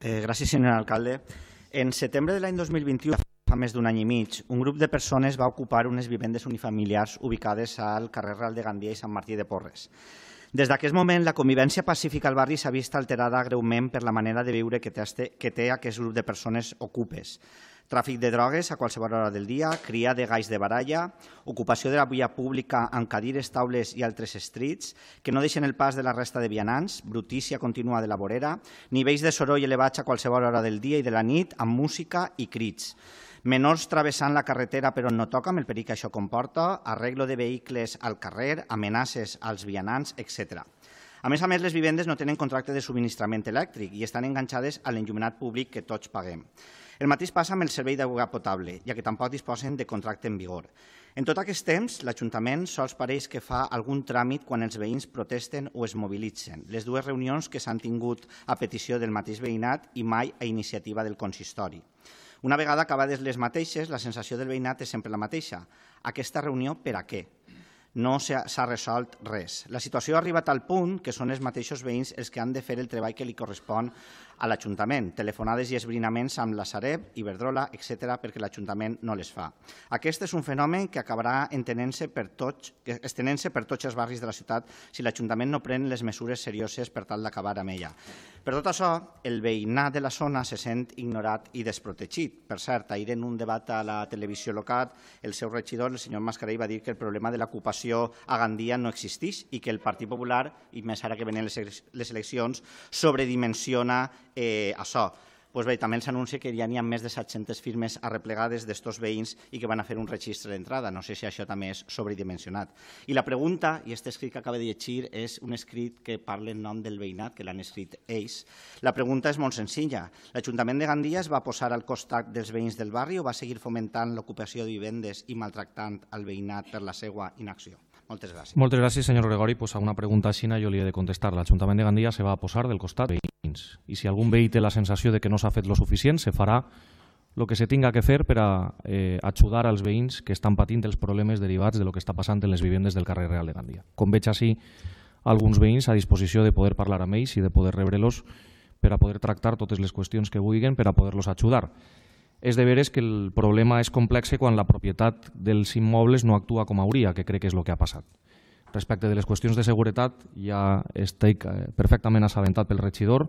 Gràcies, senyor alcalde. En setembre de l'any 2021, fa més d'un any i mig, un grup de persones va ocupar unes vivendes unifamiliars ubicades al carrer Real de Gandia i Sant Martí de Porres. Des d'aquest moment, la convivència pacífica al barri s'ha vist alterada greument per la manera de viure que té aquest grup de persones ocupes. Tràfic de drogues a qualsevol hora del dia, cria de galls de baralla, ocupació de la via pública amb cadires, taules i altres estrits que no deixen el pas de la resta de vianants, brutícia contínua de la vorera, nivells de soroll elevats a qualsevol hora del dia i de la nit amb música i crits. Menors travessant la carretera per on no toca, amb el perill que això comporta, arreglo de vehicles al carrer, amenaces als vianants, etc. A més, les vivendes no tenen contracte de subministrament elèctric i estan enganxades a l'enllumenat públic que tots paguem. El mateix passa amb el servei d'aigua potable, ja que tampoc disposen de contracte en vigor. En tot aquest temps, l'Ajuntament sols pareix que fa algun tràmit quan els veïns protesten o es mobilitzen. Les dues reunions que s'han tingut a petició del mateix veïnat i mai a iniciativa del consistori. Una vegada acabades les mateixes, la sensació del veïnat és sempre la mateixa. Aquesta reunió per a què? No s'ha resolt res. La situació ha arribat al punt que són els mateixos veïns els que han de fer el treball que li correspon a l'Ajuntament, telefonades i esbrinaments amb la Sareb, Iberdrola, etc., perquè l'Ajuntament no les fa. Aquest és un fenomen que acabarà estenent-se per tots els barris de la ciutat si l'Ajuntament no pren les mesures serioses per tal d'acabar amb ella. Per tot això, el veïnat de la zona se sent ignorat i desprotegit. Per cert, ahir en un debat a la televisió local, el seu regidor, el senyor Mascarell, va dir que el problema de l'ocupació a Gandia no existeix i que el Partit Popular, i més ara que venen les eleccions, sobredimensiona això. Doncs bé, també s'anuncia que ja n'hi ha més de 700 firmes arreplegades d'estos veïns i que van a fer un registre d'entrada. No sé si això també és sobredimensionat. I la pregunta, i aquest escrit que acaba de llegir és un escrit que parla en nom del veïnat, que l'han escrit ells. La pregunta és molt senzilla. L'Ajuntament de Gandia es va posar al costat dels veïns del barri o va seguir fomentant l'ocupació de vivendes i maltractant el veïnat per la seva inacció? Moltes gràcies. Moltes gràcies, senyor Gregori. Pues a una pregunta així jo li he de contestar. L'Ajuntament de Gandia se va a posar del costat dels veïns. I si algun veí té la sensació de que no s'ha fet lo suficient, se farà el que se tinga que fer per a ajudar als veïns que estan patint els problemes derivats de lo que està passant en les vivendes del carrer Real de Gandia. Com veig així, alguns veïns a disposició de poder parlar amb ells i de poder rebre-los per a poder tractar totes les qüestions que vulguin per a poder-los ajudar. És de veres que el problema és complex quan la propietat dels immobles no actua com hauria, que crec que és el que ha passat. Respecte de les qüestions de seguretat, ja estic perfectament assabentat pel regidor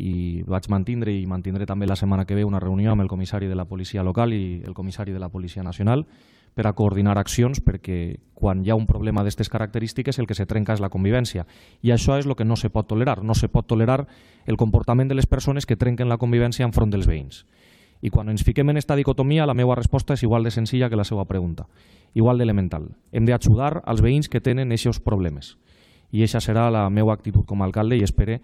i vaig mantindre i mantindré també la setmana que ve una reunió amb el comissari de la policia local i el comissari de la policia nacional per a coordinar accions perquè quan hi ha un problema d'aquestes característiques el que se trenca és la convivència. I això és el que no se pot tolerar. No se pot tolerar el comportament de les persones que trenquen la convivència enfront dels veïns. I quan ens fiquem en aquesta dicotomia, la meva resposta és igual de senzilla que la seva pregunta, igual d'elemental. Hem d'ajudar als veïns que tenen aquests problemes. I aquesta serà la meva actitud com a alcalde i espero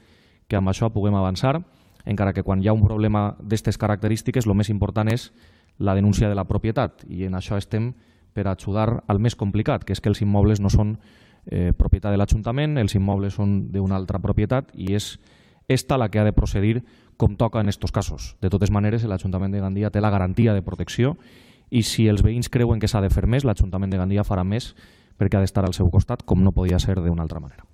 que amb això puguem avançar, encara que quan hi ha un problema d'aquestes característiques el més important és la denúncia de la propietat i en això estem per ajudar al més complicat, que és que els immobles no són propietat de l'Ajuntament, els immobles són d'una altra propietat i és esta la que ha de procedir com toca en aquests casos. De totes maneres, l'Ajuntament de Gandia té la garantia de protecció i si els veïns creuen que s'ha de fer més, l'Ajuntament de Gandia farà més perquè ha d'estar al seu costat com no podia ser d'una altra manera.